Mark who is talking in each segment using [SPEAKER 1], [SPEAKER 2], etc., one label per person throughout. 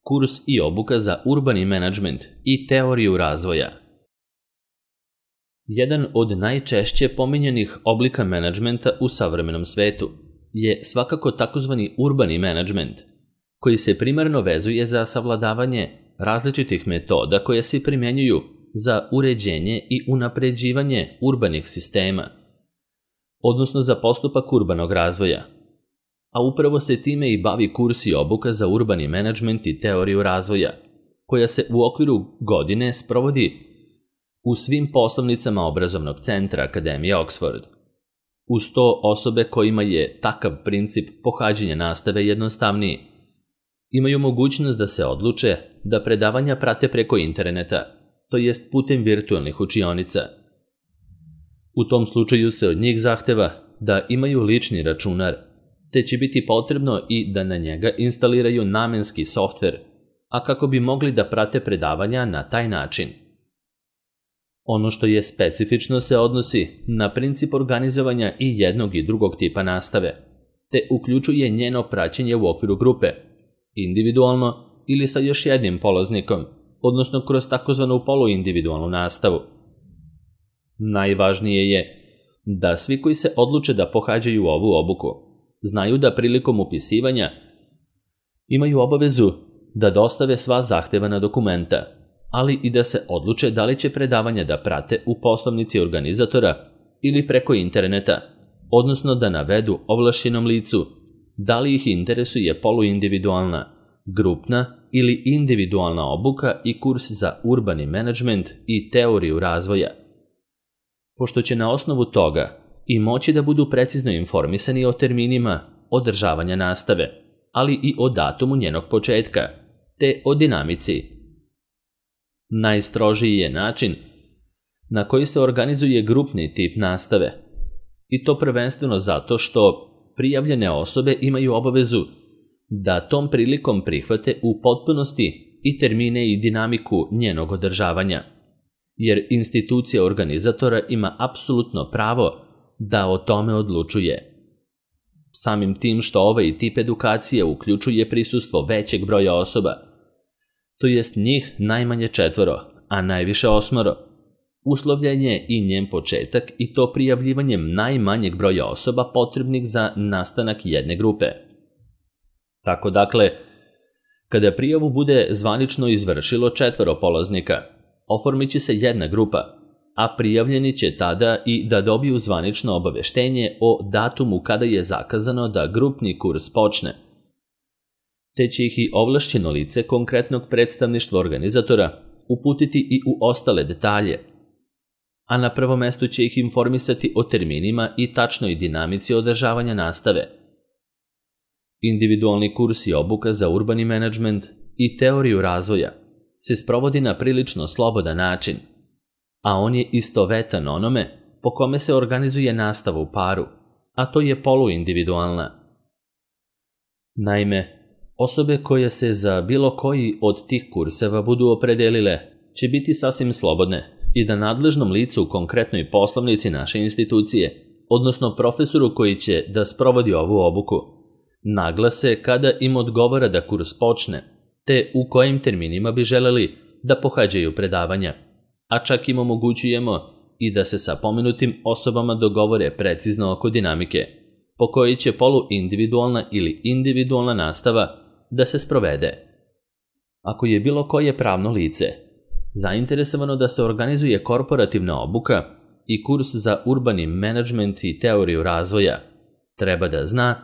[SPEAKER 1] kurs i obuka za urbani menadžment i teoriju razvoja. Jedan od najčešće pominjanih oblika menadžmenta u savremenom svetu je svakako takozvani urbani menadžment, koji se primarno vezuje za savladavanje različitih metoda koje se primjenjuju za uređenje i unapređivanje urbanih sistema, odnosno za postupak urbanog razvoja. A upravo se time i bavi kurs i obuka za urbani menadžment i teoriju razvoja, koja se u okviru godine sprovodi u svim poslovnicama obrazovnog centra Akademije Oxford. Uz to osobe kojima je takav princip pohađanja nastave jednostavniji, imaju mogućnost da se odluče da predavanja prate preko interneta, to jest putem virtualnih učionica. U tom slučaju se od njih zahteva da imaju lični računar, te će biti potrebno i da na njega instaliraju namenski softver, a kako bi mogli da prate predavanja na taj način. Ono što je specifično se odnosi na princip organizovanja i jednog i drugog tipa nastave, te uključuje njeno praćenje u okviru grupe, individualno ili sa još jednim polaznikom, odnosno kroz takozvanu poluindividualnu nastavu. Najvažnije je da svi koji se odluče da pohađaju ovu obuku znaju da prilikom upisivanja imaju obavezu da dostave sva zahtevana dokumenta, ali i da se odluče da li će predavanja da prate u poslovnici organizatora ili preko interneta, odnosno da navedu ovlašćenom licu da li ih interesuje poluindividualna, grupna ili individualna obuka i kurs za urbani menadžment i teoriju razvoja. Pošto će na osnovu toga i moći da budu precizno informisani o terminima održavanja nastave, ali i o datumu njenog početka, te o dinamici. Najstrožiji je način na koji se organizuje grupni tip nastave, i to prvenstveno zato što prijavljene osobe imaju obavezu da tom prilikom prihvate u potpunosti i termine i dinamiku njenog održavanja, jer institucija organizatora ima apsolutno pravo da o tome odlučuje. Samim tim što ovaj tip edukacije uključuje prisustvo većeg broja osoba, to jest njih najmanje 4, a najviše 8, uslovljen je i njen početak i to prijavljivanjem najmanjeg broja osoba potrebnih za nastanak jedne grupe. Tako dakle, kada prijavu bude zvanično izvršilo 4 polaznika, oformit će se jedna grupa, a prijavljeni će tada i da dobiju zvanično obaveštenje o datumu kada je zakazano da grupni kurs počne, te će ih i ovlašćeno lice konkretnog predstavništva organizatora uputiti i u ostale detalje, a na prvom mestu će ih informisati o terminima i tačnoj dinamici održavanja nastave. Individualni kurs i obuka za urbani menadžment i teoriju razvoja se sprovodi na prilično slobodan način, a on je istovetan onome po kome se organizuje nastava u paru, a to je poluindividualna. Naime, osobe koje se za bilo koji od tih kurseva budu opredelile će biti sasvim slobodne i da nadležnom licu u konkretnoj poslovnici naše institucije, odnosno profesoru koji će da sprovodi ovu obuku, naglase kada im odgovara da kurs počne, te u kojim terminima bi želeli da pohađaju predavanja, a čak im omogućujemo i da se sa pomenutim osobama dogovore precizno oko dinamike, po kojoj će poluindividualna ili individualna nastava da se sprovede. Ako je bilo koje pravno lice zainteresovano da se organizuje korporativna obuka i kurs za urbani menadžment i teoriju razvoja, treba da zna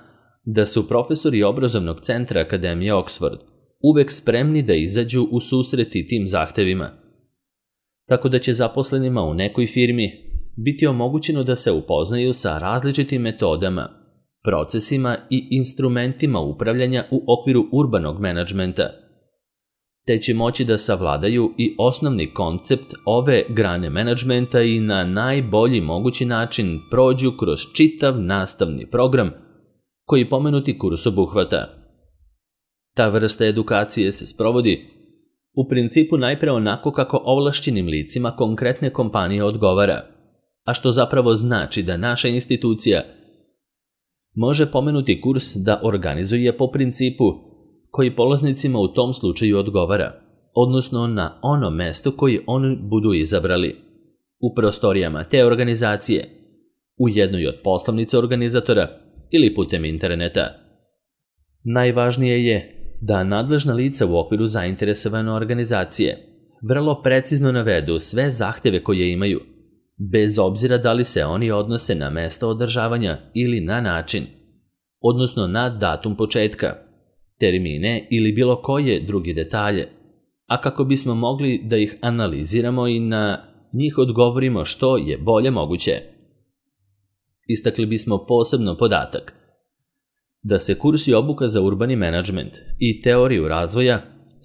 [SPEAKER 1] da su profesori obrazovnog centra Akademije Oxford uvek spremni da izađu u susret i tim zahtevima, tako da će zaposlenima u nekoj firmi biti omogućeno da se upoznaju sa različitim metodama, procesima i instrumentima upravljanja u okviru urbanog menadžmenta, te će moći da savladaju i osnovni koncept ove grane menadžmenta i na najbolji mogući način prođu kroz čitav nastavni program koji pomenuti kurs obuhvata. Ta vrsta edukacije se sprovodi u principu najpre onako kako ovlašćenim licima konkretne kompanije odgovara, a što zapravo znači da naša institucija može pomenuti kurs da organizuje po principu koji polaznicima u tom slučaju odgovara, odnosno na ono mesto koje oni budu izabrali, u prostorijama te organizacije, u jednoj od poslovnica organizatora ili putem interneta. Najvažnije je da nadležna lica u okviru zainteresovane organizacije vrlo precizno navedu sve zahteve koje imaju, bez obzira da li se oni odnose na mesto održavanja ili na način, odnosno na datum početka, termine ili bilo koje druge detalje, a kako bismo mogli da ih analiziramo i na njih odgovorimo što je bolje moguće. Istakli bismo posebno podatak da se kurs i obuka za urbani menadžment i teoriju razvoja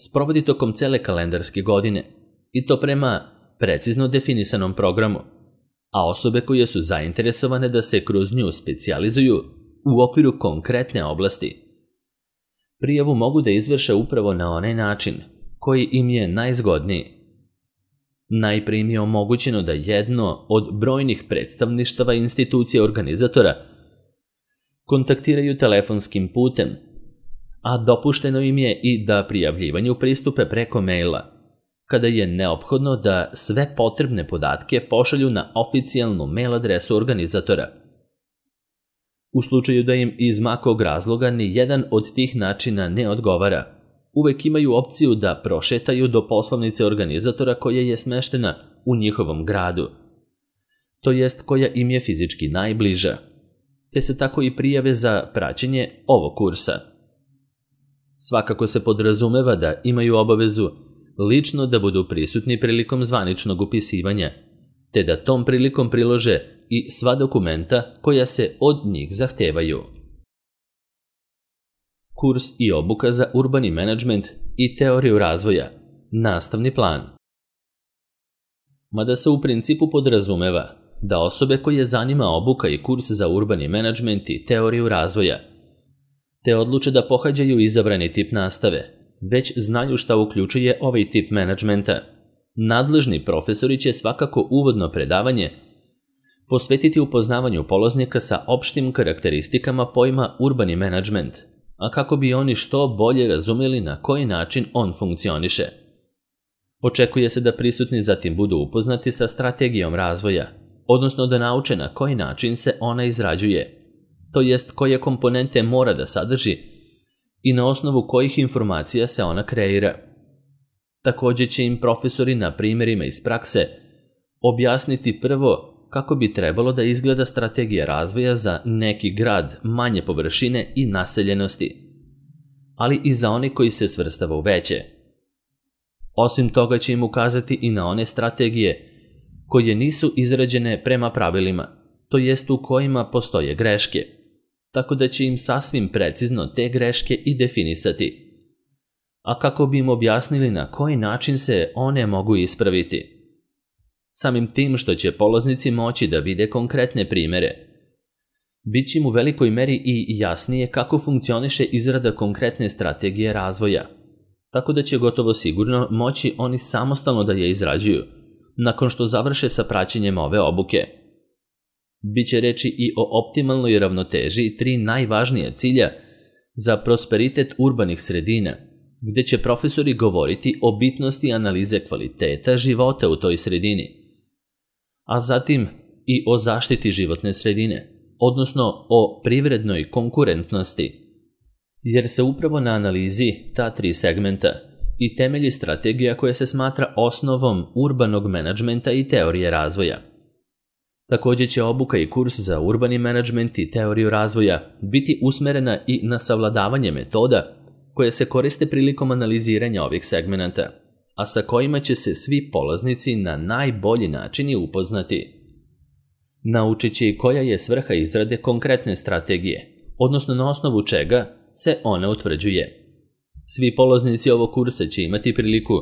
[SPEAKER 1] sprovodi tokom cele kalendarske godine i to prema precizno definisanom programu, a osobe koje su zainteresovane da se kroz nju specijalizuju u okviru konkretne oblasti prijavu mogu da izvrše upravo na onaj način koji im je najzgodniji. Najprije im je omogućeno da jedno od brojnih predstavništava institucija organizatora kontaktiraju telefonskim putem, a dopušteno im je i da prijavljivanju pristupe preko maila, kada je neophodno da sve potrebne podatke pošalju na oficijalnu mail adresu organizatora. U slučaju da im iz makog razloga ni jedan od tih načina ne odgovara, uvek imaju opciju da prošetaju do poslovnice organizatora koja je smeštena u njihovom gradu, to jest koja im je fizički najbliža, te se tako i prijave za praćenje ovog kursa. Svakako se podrazumeva da imaju obavezu lično da budu prisutni prilikom zvaničnog upisivanja, te da tom prilikom prilože i sva dokumenta koja se od njih zahtevaju. Kurs i obuka za urbani menadžment i teoriju razvoja, nastavni plan. Mada se u principu podrazumeva da osobe koje zanima obuka i kurs za urbani menadžment i teoriju razvoja, te odluče da pohađaju izabrani tip nastave, već znaju šta uključuje ovaj tip menadžmenta. Nadležni profesori će svakako uvodno predavanje posvetiti upoznavanju polaznika sa opštim karakteristikama pojma urbani menadžment, a kako bi oni što bolje razumeli na koji način on funkcioniše. Očekuje se da prisutni zatim budu upoznati sa strategijom razvoja, odnosno da nauče na koji način se ona izrađuje, to jest koje komponente mora da sadrži i na osnovu kojih informacija se ona kreira. Također će im profesori na primjerima iz prakse objasniti prvo kako bi trebalo da izgleda strategija razvoja za neki grad manje površine i naseljenosti, ali i za one koji se svrstava u veće. Osim toga će im ukazati i na one strategije koje nisu izrađene prema pravilima, to jest u kojima postoje greške, tako da će im sasvim precizno te greške i definisati, a kako bi im objasnili na koji način se one mogu ispraviti. Samim tim što će polaznici moći da vide konkretne primere, bit će im u velikoj meri i jasnije kako funkcioniše izrada konkretne strategije razvoja, tako da će gotovo sigurno moći oni samostalno da je izrađuju, nakon što završe sa praćenjem ove obuke. Biće reči i o optimalnoj ravnoteži 3 najvažnija cilja za prosperitet urbanih sredina, gde će profesori govoriti o bitnosti analize kvaliteta života u toj sredini, a zatim i o zaštiti životne sredine, odnosno o privrednoj konkurentnosti, jer se upravo na analizi ta 3 segmenta i temelji strategija koja se smatra osnovom urbanog menadžmenta i teorije razvoja. Također će obuka i kurs za urbani menadžment i teoriju razvoja biti usmerena i na savladavanje metoda koje se koriste prilikom analiziranja ovih segmenata, a sa kojima će se svi polaznici na najbolji način upoznati. Naučit će i koja je svrha izrade konkretne strategije, odnosno na osnovu čega se ona utvrđuje. Svi polaznici ovog kursa će imati priliku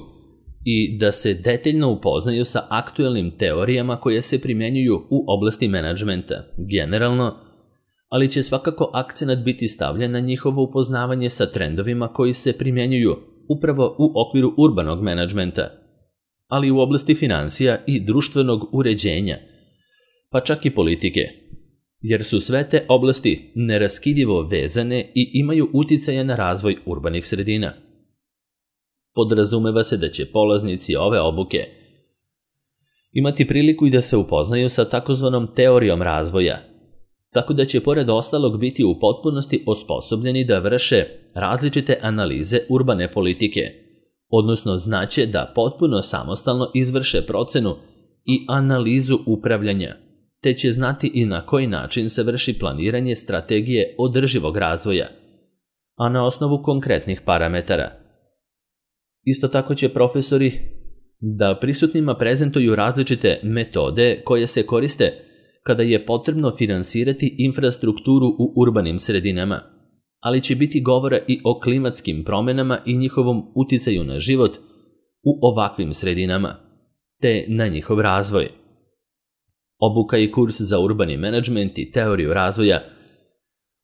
[SPEAKER 1] i da se detaljno upoznaju sa aktuelnim teorijama koje se primjenjuju u oblasti menadžmenta generalno, ali će svakako akcenat biti stavljen na njihovo upoznavanje sa trendovima koji se primjenjuju upravo u okviru urbanog menadžmenta, ali u oblasti finansija i društvenog uređenja, pa čak i politike. jer su sve te oblasti neraskidivo vezane i imaju uticaja na razvoj urbanih sredina. Podrazumeva se da će polaznici ove obuke imati priliku i da se upoznaju sa takozvanom teorijom razvoja, tako da će pored ostalog biti u potpunosti osposobljeni da vrše različite analize urbane politike, odnosno znaće da potpuno samostalno izvrše procenu i analizu upravljanja, te će znati i na koji način se vrši planiranje strategije održivog razvoja, a na osnovu konkretnih parametara. Isto tako će profesori da prisutnima prezentuju različite metode koje se koriste kada je potrebno finansirati infrastrukturu u urbanim sredinama, ali će biti govora i o klimatskim promjenama i njihovom uticaju na život u ovakvim sredinama, te na njihov razvoj. Obuka i kurs za urbani menadžment i teoriju razvoja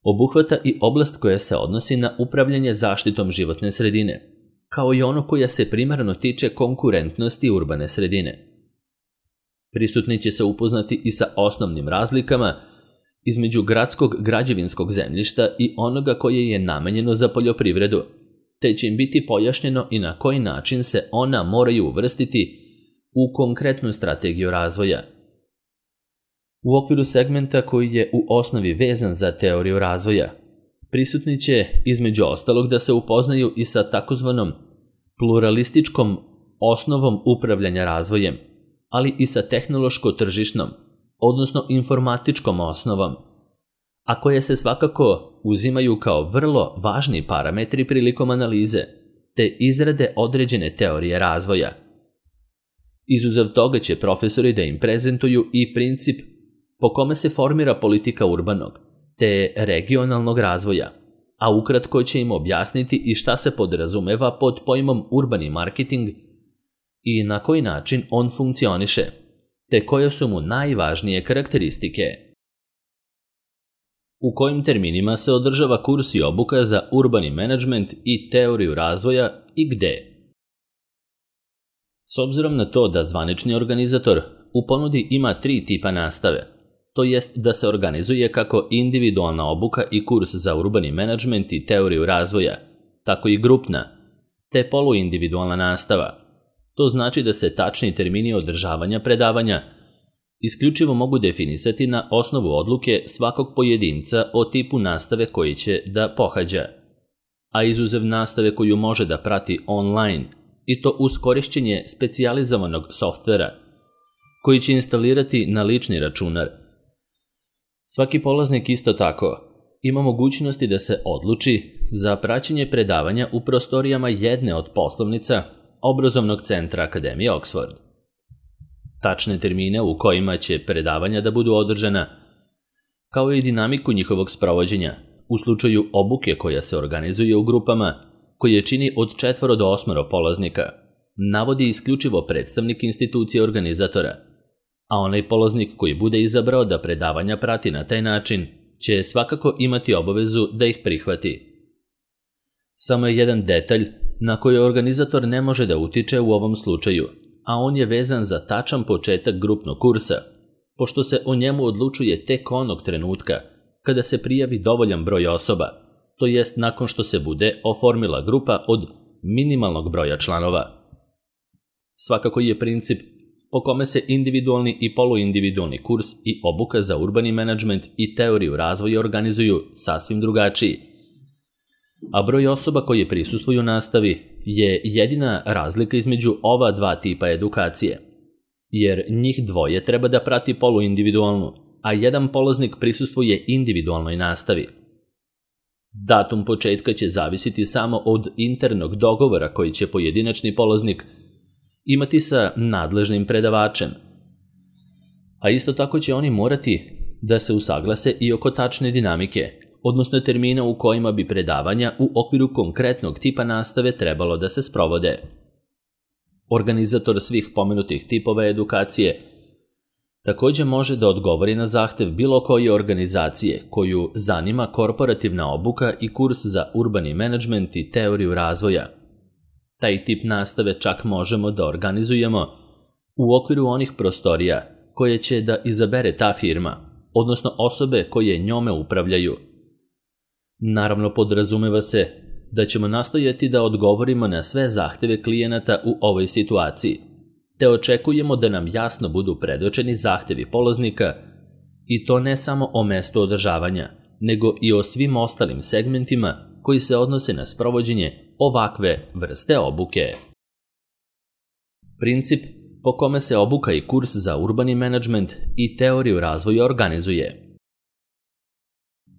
[SPEAKER 1] obuhvata i oblast koja se odnosi na upravljanje zaštitom životne sredine, kao i ono koja se primarno tiče konkurentnosti urbane sredine. Prisutni će se upoznati i sa osnovnim razlikama između gradskog građevinskog zemljišta i onoga koje je namenjeno za poljoprivredu, te će im biti pojašnjeno i na koji način se ona moraju uvrstiti u konkretnu strategiju razvoja. U okviru segmenta koji je u osnovi vezan za teoriju razvoja, prisutni će između ostalog da se upoznaju i sa takozvanom pluralističkom osnovom upravljanja razvojem, ali i sa tehnološko-tržišnom, odnosno informatičkom osnovom, a koje se svakako uzimaju kao vrlo važni parametri prilikom analize, te izrade određene teorije razvoja. Izuzev toga će profesori da im prezentuju i princip po kome se formira politika urbanog, te regionalnog razvoja, a ukratko će im objasniti i šta se podrazumeva pod pojmom urbani marketing i na koji način on funkcioniše, te koje su mu najvažnije karakteristike. U kojim terminima se održava kurs i obuka za urbani menadžment i teoriju razvoja i gde? S obzirom na to da zvanični organizator u ponudi ima 3 tipa nastave, to jest da se organizuje kako individualna obuka i kurs za urbani menadžment i teoriju razvoja, tako i grupna, te poluindividualna nastava. To znači da se tačni termini održavanja predavanja isključivo mogu definisati na osnovu odluke svakog pojedinca o tipu nastave koji će da pohađa, a izuzev nastave koju može da prati online, i to uz korišćenje specijalizovanog softvera koji će instalirati na lični računar. Svaki polaznik isto tako ima mogućnosti da se odluči za praćenje predavanja u prostorijama jedne od poslovnica Obrazovnog centra Akademije Oxford. Tačne termine u kojima će predavanja da budu održana, kao i dinamiku njihovog sprovođenja u slučaju obuke koja se organizuje u grupama koje čini od 4 do 8 polaznika, navodi isključivo predstavnik institucije organizatora, a onaj polaznik koji bude izabrao da predavanja prati na taj način će svakako imati obavezu da ih prihvati. Samo je jedan detalj na koji organizator ne može da utiče u ovom slučaju, a on je vezan za tačan početak grupnog kursa, pošto se o njemu odlučuje tek onog trenutka kada se prijavi dovoljan broj osoba, to jest nakon što se bude oformila grupa od minimalnog broja članova. Svakako je princip po kome se individualni i poluindividualni kurs i obuka za urbani menadžment i teoriju razvoja organizuju sasvim drugačiji, a broj osoba koje prisustvuju nastavi je jedina razlika između ova 2 tipa edukacije, jer njih dvoje treba da prati poluindividualnu, a jedan polaznik prisustvuje individualnoj nastavi. Datum početka će zavisiti samo od internog dogovora koji će pojedinačni polaznik imati sa nadležnim predavačem, a isto tako će oni morati da se usaglase i oko tačne dinamike, odnosno termina u kojima bi predavanja u okviru konkretnog tipa nastave trebalo da se sprovode. Organizator svih pomenutih tipova edukacije također može da odgovori na zahtev bilo koje organizacije koju zanima korporativna obuka i kurs za urbani menadžment i teoriju razvoja. Taj tip nastave čak možemo da organizujemo u okviru onih prostorija koje će da izabere ta firma, odnosno osobe koje njome upravljaju. Naravno, podrazumeva se da ćemo nastojati da odgovorimo na sve zahteve klijenata u ovoj situaciji, te očekujemo da nam jasno budu predočeni zahtevi polaznika i to ne samo o mestu održavanja, nego i o svim ostalim segmentima koji se odnose na sprovođenje ovakve vrste obuke. Princip po kome se obuka i kurs za urbani menadžment i teoriju razvoja organizuje.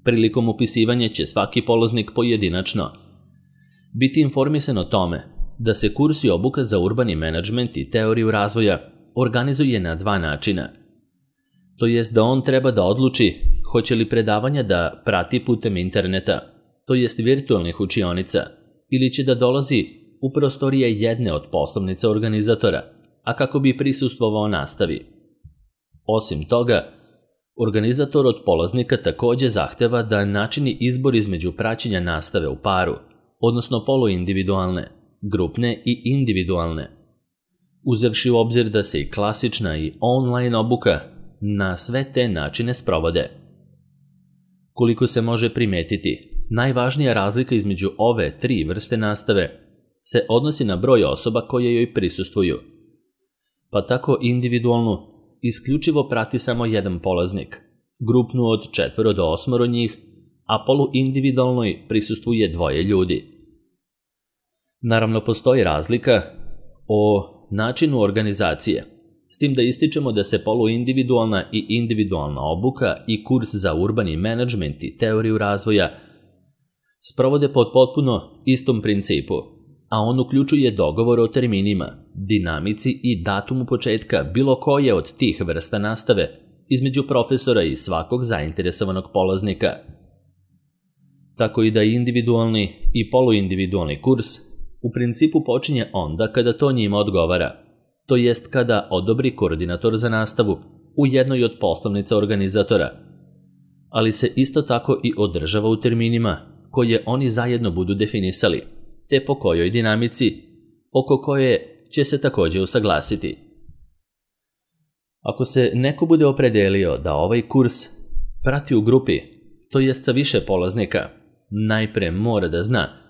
[SPEAKER 1] Prilikom upisivanja će svaki polaznik pojedinačno biti informisan o tome da se kurs i obuka za urbani menadžment i teoriju razvoja organizuje na dva načina. To jest da on treba da odluči hoće li predavanja da prati putem interneta, to jest virtualnih učionica, ili će da dolazi u prostorije jedne od poslovnica organizatora, a kako bi prisustvovao nastavi. Osim toga, organizator od polaznika takođe zahteva da načini izbor između praćenja nastave u paru, odnosno poluindividualne, grupne i individualne, uzevši u obzir da se i klasična i online obuka na sve te načine sprovode. Koliko se može primetiti, najvažnija razlika između ove tri vrste nastave se odnosi na broj osoba koje joj prisustvuju, pa tako individualnu isključivo prati samo jedan polaznik, grupnu od 4 do 8 njih, a poluindividualnoj prisustvuje 2 ljudi. Naravno, postoji razlika o načinu organizacije, s tim da ističemo da se poluindividualna i individualna obuka i kurs za urbani menadžment i teoriju razvoja sprovode pod potpuno istom principu, a on uključuje dogovor o terminima, dinamici i datumu početka bilo koje od tih vrsta nastave između profesora i svakog zainteresovanog polaznika. Tako i da individualni i poluindividualni kurs u principu počinje onda kada to njima odgovara, to jest kada odobri koordinator za nastavu u jednoj od poslovnica organizatora, ali se isto tako i održava u terminima koje oni zajedno budu definisali, te po kojoj dinamici, oko koje će se takođe usaglasiti. Ako se neko bude opredelio da ovaj kurs prati u grupi, to jest sa više polaznika, najpre mora da zna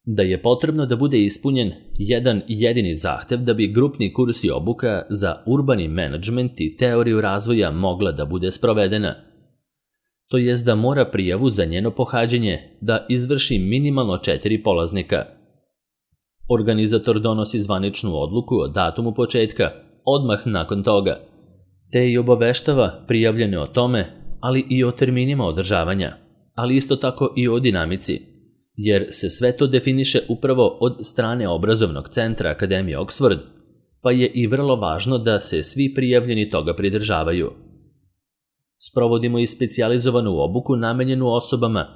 [SPEAKER 1] da je potrebno da bude ispunjen jedan jedini zahtev da bi grupni kurs i obuka za urbani menadžment i teoriju razvoja mogla da bude sprovedena. To jest da mora prijavu za njeno pohađanje da izvrši minimalno 4 polaznika. Organizator donosi zvaničnu odluku o datumu početka odmah nakon toga, te i obaveštava prijavljene o tome, ali i o terminima održavanja, ali isto tako i o dinamici, jer se sve to definiše upravo od strane obrazovnog centra Akademije Oxford, pa je i vrlo važno da se svi prijavljeni toga pridržavaju. Sprovodimo i specijalizovanu obuku namenjenu osobama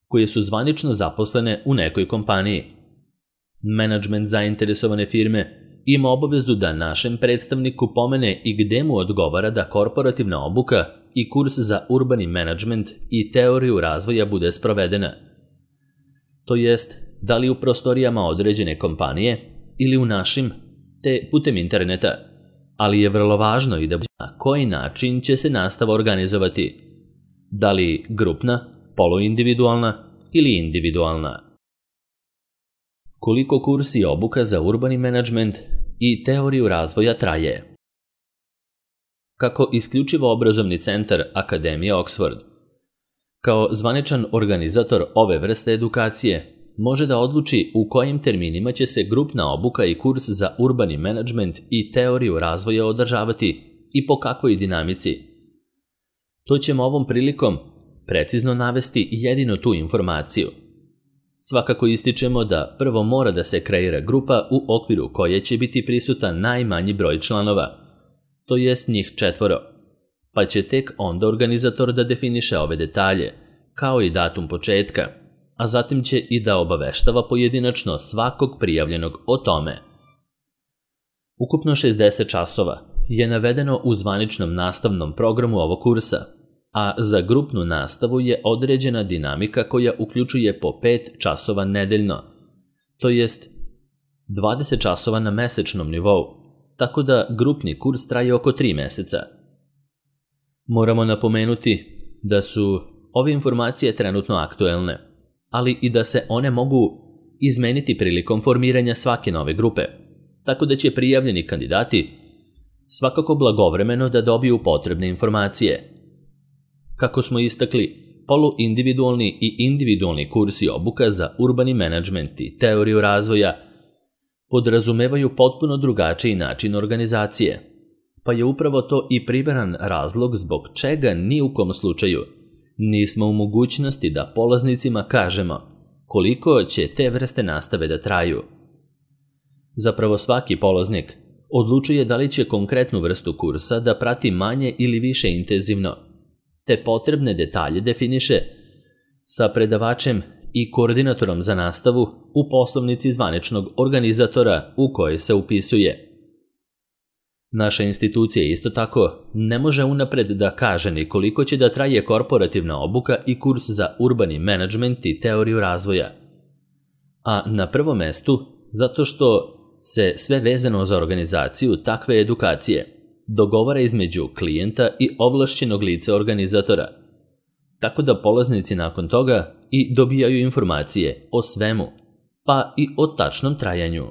[SPEAKER 1] koje su zvanično zaposlene u nekoj kompaniji. Menadžment zainteresovane firme ima obavezu da našem predstavniku pomene i gde mu odgovara da korporativna obuka i kurs za urbani menadžment i teoriju razvoja bude sprovedena. To jest, da li u prostorijama određene kompanije ili u našim, te putem interneta, ali je vrlo važno i da na koji način će se nastava organizovati, da li grupna, poluindividualna ili individualna. Koliko kurs i obuka za urbani menadžment i teoriju razvoja traje? Kako isključivo obrazovni centar Akademije Oxford, kao zvaničan organizator ove vrste edukacije, može da odluči u kojim terminima će se grupna obuka i kurs za urbani menadžment i teoriju razvoja održavati i po kakvoj dinamici. To ćemo ovom prilikom precizno navesti jedino tu informaciju. Svakako ističemo da prvo mora da se kreira grupa u okviru koje će biti prisutan najmanji broj članova, to jest njih 4, pa će tek onda organizator da definiše ove detalje, kao i datum početka, a zatim će i da obaveštava pojedinačno svakog prijavljenog o tome. Ukupno 60 časova je navedeno u zvaničnom nastavnom programu ovog kursa, a za grupnu nastavu je određena dinamika koja uključuje po 5 časova nedeljno, to jest 20 časova na mesečnom nivou, tako da grupni kurs traje oko 3 meseca. Moramo napomenuti da su ove informacije trenutno aktuelne, ali i da se one mogu izmeniti prilikom formiranja svake nove grupe, tako da će prijavljeni kandidati svakako blagovremeno da dobiju potrebne informacije. Kako smo istakli, poluindividualni i individualni kursi obuka za urbani menadžment i teoriju razvoja podrazumevaju potpuno drugačiji način organizacije, pa je upravo to i primaran razlog zbog čega ni u kom slučaju nismo u mogućnosti da polaznicima kažemo koliko će te vrste nastave da traju. Zapravo svaki polaznik odlučuje da li će konkretnu vrstu kursa da prati manje ili više intenzivno, te potrebne detalje definiše sa predavačem i koordinatorom za nastavu u poslovnici zvaničnog organizatora u kojoj se upisuje. Naša institucija isto tako ne može unapred da kaže ni koliko će da traje korporativna obuka i kurs za urbani menadžment i teoriju razvoja. A na prvom mestu zato što se sve vezano za organizaciju takve edukacije dogovara između klijenta i ovlašćenog lica organizatora, tako da polaznici nakon toga i dobijaju informacije o svemu, pa i o tačnom trajanju.